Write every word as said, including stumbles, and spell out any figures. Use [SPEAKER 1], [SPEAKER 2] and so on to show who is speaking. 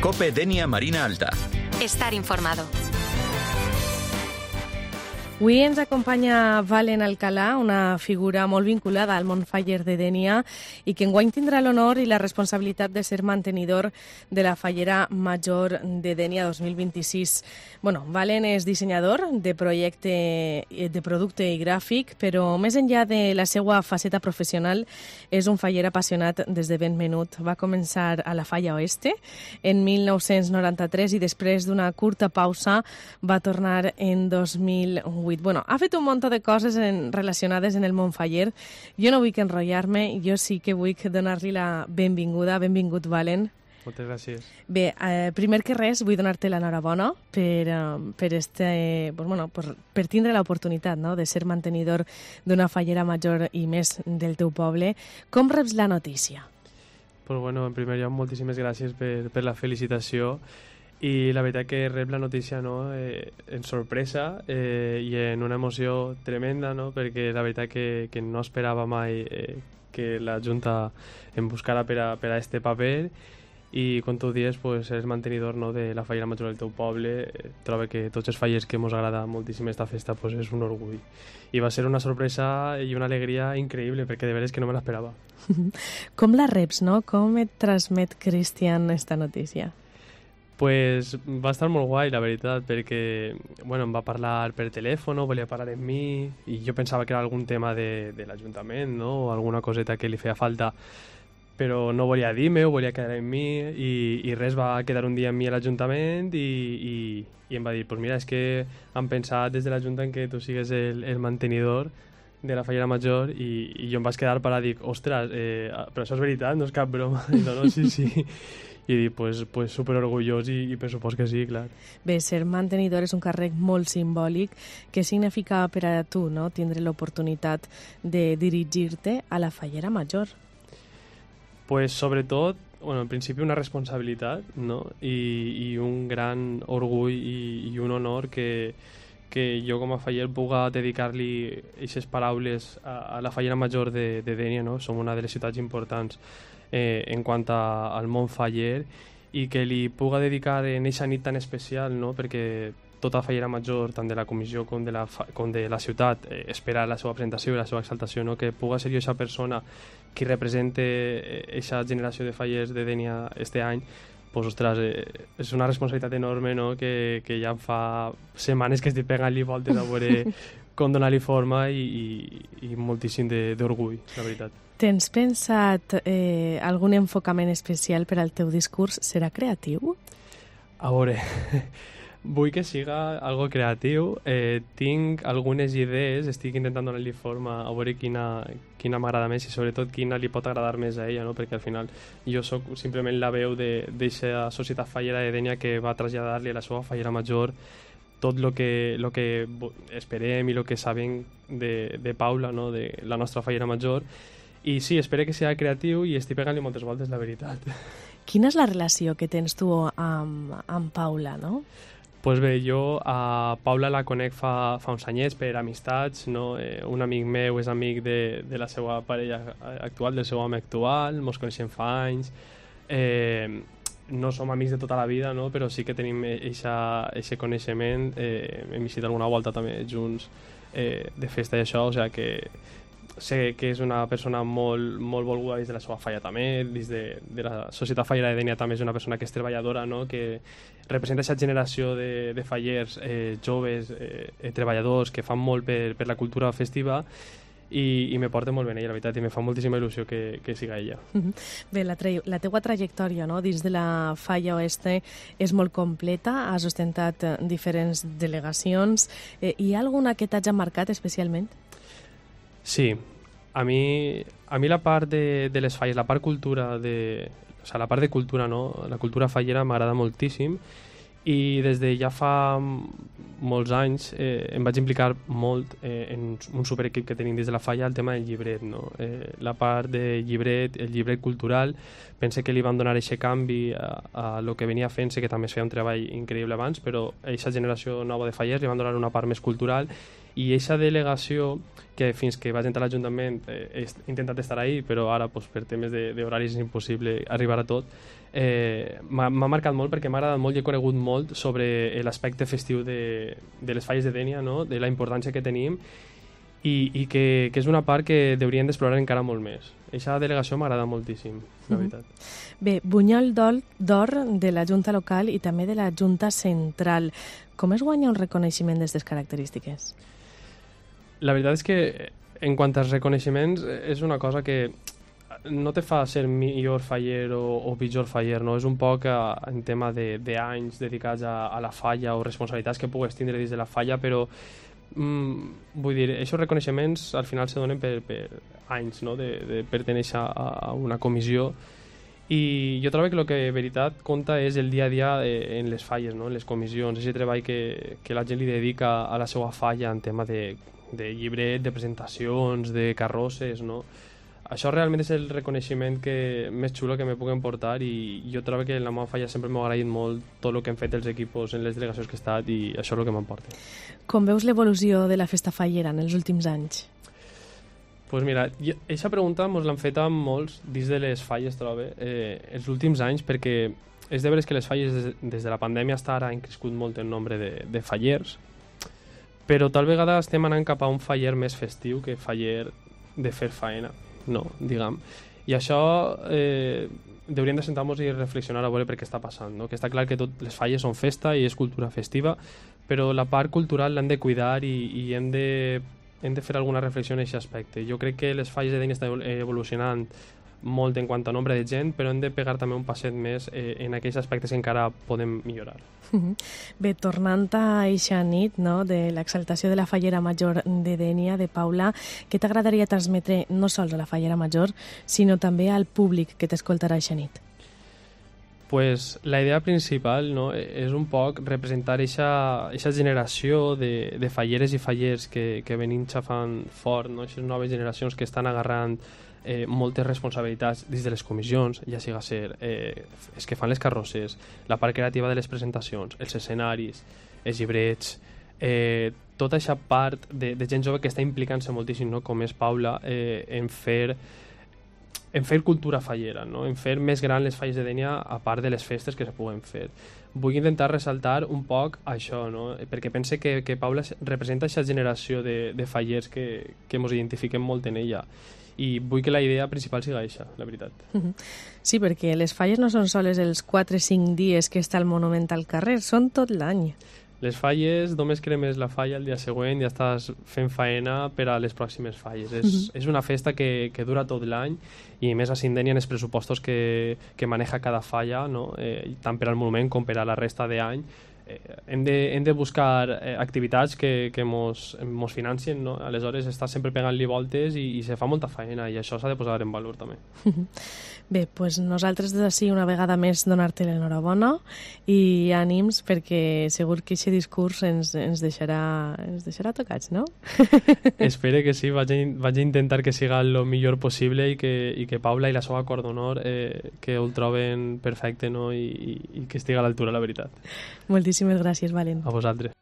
[SPEAKER 1] COPE Dénia Marina Alta.
[SPEAKER 2] Estar informado.
[SPEAKER 3] Avui ens acompanya Valen Alcalà, una figura molt vinculada al món faller de Dénia i que enguany tindrà l'honor i la responsabilitat de ser mantenidor de la Fallera Major de Dénia dos mil vint-i-sis. Bueno, Valen és dissenyador de projecte de producte i gràfic, però més enllà de la seva faceta professional és un faller apassionat des de ben menut. Va començar a la Falla Oeste en mil nou-cents noranta-tres i després d'una curta pausa va tornar en dos mil vuit. Bueno, ha fet un munt de coses en, relacionades en el món faller. Jo no vull que enrotllar-me, jo sí que vull donar-li la benvinguda. Benvingut, Valen.
[SPEAKER 4] Moltes gràcies.
[SPEAKER 3] Bé, eh, primer que res, vull donar-te l'enhorabona per, eh, per, este, pues, bueno, per, per tindre l'oportunitat, no?, de ser mantenidor d'una fallera major i més del teu poble. Com reps la notícia?
[SPEAKER 4] Pues bueno, en primer lloc, moltíssimes gràcies per, per la felicitació. I la veritat que rep la notícia, no, eh, en sorpresa eh, i en una emoció tremenda, no, perquè la veritat que, que no esperava mai eh, que la Junta em buscara per a, per a este paper i, com tu dius, pues, és mantenidor, no, de la fallera major del teu poble. Eh, trobo que tots els fallers que ens agrada moltíssim esta festa pues, és un orgull. I va ser una sorpresa i una alegria increïble, perquè de veres que no me l'esperava.
[SPEAKER 3] Com la reps, no? Com et transmet Cristian esta notícia?
[SPEAKER 4] Pues va estar molt guai, la veritat, perquè bueno, em va parlar per telèfon, volia parlar amb mi, i jo pensava que era algun tema de, de l'Ajuntament, no?, o alguna coseta que li feia falta, però no volia dir-me, ho volia quedar amb mi, i, i res, va quedar un dia amb mi a l'Ajuntament, i, i, i em va dir, pues mira, és que han pensat des de l'Ajuntament que tu sigues el, el mantenidor de la fallera major, i, i jo em vaig quedar parat, dic, ostres, eh, però això és veritat, no és cap broma. I no, no, sí, sí. I dic, pues, pues super orgullós i, i per supòs que sí, clar.
[SPEAKER 3] Bé, ser mantenidor és un càrrec molt simbòlic. Què significa per a tu, no?, tindre l'oportunitat de dirigir-te a la fallera major?
[SPEAKER 4] Pues sobretot, bueno, en principi una responsabilitat, no?, i, i un gran orgull i, i un honor que, que jo com a faller puga dedicar-li aquestes paraules a, a la fallera major de, de Dénia, no? Som una de les ciutats importants eh, en quant a, al món faller, i que li puga dedicar en aquesta nit tan especial, no?, perquè tota fallera major, tant de la comissió com de la, com de la ciutat, eh, espera la seva presentació i la seva exaltació, no?, que puga ser jo aquesta persona que represente aquesta generació de fallers de Dénia este any. Pues, ostres, eh, és una responsabilitat enorme, no?, que, que ja em fa setmanes que estic pegant-li voltes a veure com donar-li forma, i, i, i moltíssim d'orgull, la veritat.
[SPEAKER 3] Tens pensat eh, algun enfocament especial per al teu discurs? Serà creatiu?
[SPEAKER 4] A veure, vull que siga algo creatiu. Eh, tinc algunes idees, estic intentant donar-li forma a veure quina, quina m'agrada més i sobretot quina li pot agradar més a ella, no? Perquè al final jo sóc simplement la veu d'aquesta societat fallera de Dénia que va traslladar-li a la seva fallera major tot el que, lo que esperem i el que sabem de, de Paula, no?, de la nostra fallera major. I sí, espero que sigui creatiu i estic pegant-li moltes voltes, la veritat.
[SPEAKER 3] Quina és la relació que tens tu amb, amb Paula, no?
[SPEAKER 4] Pues bé, jo a Paula la conec fa, fa uns anyets per amistats, no? Eh, un amic meu és amic de, de la seva parella actual, del seu home actual, mos coneixem fa anys. Eh, no som amics de tota la vida, no?, però sí que tenim aquest coneixement. Eh, hem visitat alguna volta també junts eh, de festa i això, o sigui que sé que és una persona molt, molt volguda dins de la seva falla també, dins de, de la societat fallera de Dénia també és una persona que és treballadora, no?, que representa aquesta generació de, de fallers eh, joves, eh, treballadors, que fan molt per, per la cultura festiva, i, i me porta molt bé ella, la veritat, i me fa moltíssima il·lusió que, que siga ella.
[SPEAKER 3] Bé, la, tra la teua trajectòria, no?, dins de la Falla Oeste és molt completa, has ostentat diferents delegacions. Eh, hi ha alguna que t'hagi marcat especialment?
[SPEAKER 4] Sí, a mi, a mi la part de, de les falles, la part cultura, de, o sea, la part de cultura, no? La cultura fallera m'agrada moltíssim, i des de ja fa molts anys eh, em vaig implicar molt eh, en un superequip que tenim dins de la falla, el tema del llibret, no? Eh, la part de llibret, el llibret cultural, pense que li van donar aquest canvi a, a lo que venia fent-se, que també es feia un treball increïble abans, però a aquesta generació nova de fallers li van donar una part més cultural, i aquesta delegació, que fins que vaig entrar a l'Ajuntament eh, he intentat estar ahí, però ara pues, per temes d'horaris és impossible arribar a tot, eh, m'ha marcat molt perquè m'ha agradat molt i he conegut molt sobre l'aspecte festiu de, de les falles de Dénia, no? De la importància que tenim i, i que, que és una part que hauríem d'explorar encara molt més. Aquesta delegació m'agrada moltíssim, la veritat.
[SPEAKER 3] Mm-hmm. Bé, Bunyol d'Or de la Junta Local i també de la Junta Central. Com es guanya un reconeixement d'aquestes característiques?
[SPEAKER 4] La veritat és que, en quant als reconeixements, és una cosa que no te fa ser millor faller o, o pitjor faller, no? És un poc a, en tema d'anys de, dedicats a, a la falla o responsabilitats que pugues tindre dins de la falla, però mm, vull dir, aquests reconeixements al final se donen per, per anys, no? de, de pertenèixer a, a una comissió, i jo trobo que el que de veritat compta és el dia a dia en les falles, no? En les comissions, aquest treball que, que la gent li dedica a la seva falla en tema de de llibret, de presentacions, de carrosses, no? Això realment és el reconeixement que, més xulo que me puguen portar, i jo trobo que en la meva falla sempre m'ha agraït molt tot el que han fet els equipos en les delegacions que he estat, i això és el que m'emporta.
[SPEAKER 3] Com veus l'evolució de la festa fallera en els últims anys?
[SPEAKER 4] Doncs pues mira, aquesta pregunta ens l'han fet amb molts dins de les falles, trobo, eh, els últims anys, perquè és de veres que les falles des, des de la pandèmia fins ara han crescut molt el nombre de, de fallers, però tal vegada estem anant cap a un faller més festiu que faller de fer faena, no, diguem. I això eh, hauríem de sentar-nos i reflexionar a veure per què està passant, no? Que està clar que totes les falles són festa i és cultura festiva, però la part cultural l'hem de cuidar i, i hem, de, hem de fer alguna reflexió en aquest aspecte. Jo crec que les falles de Dénia estan evolucionant molt en quant a nombre de gent, però hem de pegar també un passet més eh, en aquells aspectes que encara podem millorar.
[SPEAKER 3] Bé, tornant a eixa nit, no?, de l'exaltació de la Fallera Major de Dénia, de Paula, què t'agradaria transmetre no sols a la Fallera Major, sinó també al públic que t'escoltarà eixa nit?
[SPEAKER 4] Pues la idea principal, no, és un poc representar aquesta generació de, de falleres i fallers que, que venim xafant fort, no? Aquestes noves generacions que estan agarrant eh, moltes responsabilitats dins de les comissions, ja siga ser eh, els que fan les carrosses, la part creativa de les presentacions, els escenaris, els llibrets, eh, tota aquesta part de, de gent jove que està implicant-se moltíssim, no? Com és Paula, eh, en fer en fer cultura fallera, no? En fer més gran les falles de Dénia a part de les festes que se puguen fer. Vull intentar ressaltar un poc això, no? Perquè pense que, que Paula representa aquesta generació de, de fallers que, que ens identifiquem molt en ella, i vull que la idea principal siga això, la veritat.
[SPEAKER 3] Sí, perquè les falles no són soles els quatre o cinc dies que està el monument al carrer, són tot l'any.
[SPEAKER 4] Les falles, només cremes la falla el dia següent i ja estàs fent faena per a les pròximes falles. És, uh-huh. és una festa que, que dura tot l'any, i més a Dénia en els pressupostos que, que maneja cada falla, no? eh, tant per al monument com per a la resta d'any. Eh, hem, de, hem de buscar eh, activitats que, que mos, mos financien, no? Aleshores està sempre pegant-li voltes i, i se fa molta feina, i això s'ha de posar en valor també.
[SPEAKER 3] Bé, doncs nosaltres des d'ací una vegada més donar-te l'enhorabona i ànims, perquè segur que aquest discurs ens, ens, deixarà, ens deixarà tocats, no?
[SPEAKER 4] Espero que sí, vaig a, vaig a intentar que siga el millor possible, i que, i que Paula i la seva cor d'honor eh, que ho troben perfecte, no? I, i, i que estigui a l'altura, la veritat.
[SPEAKER 3] Moltíssimes gràcies, Valen.
[SPEAKER 4] A vosaltres.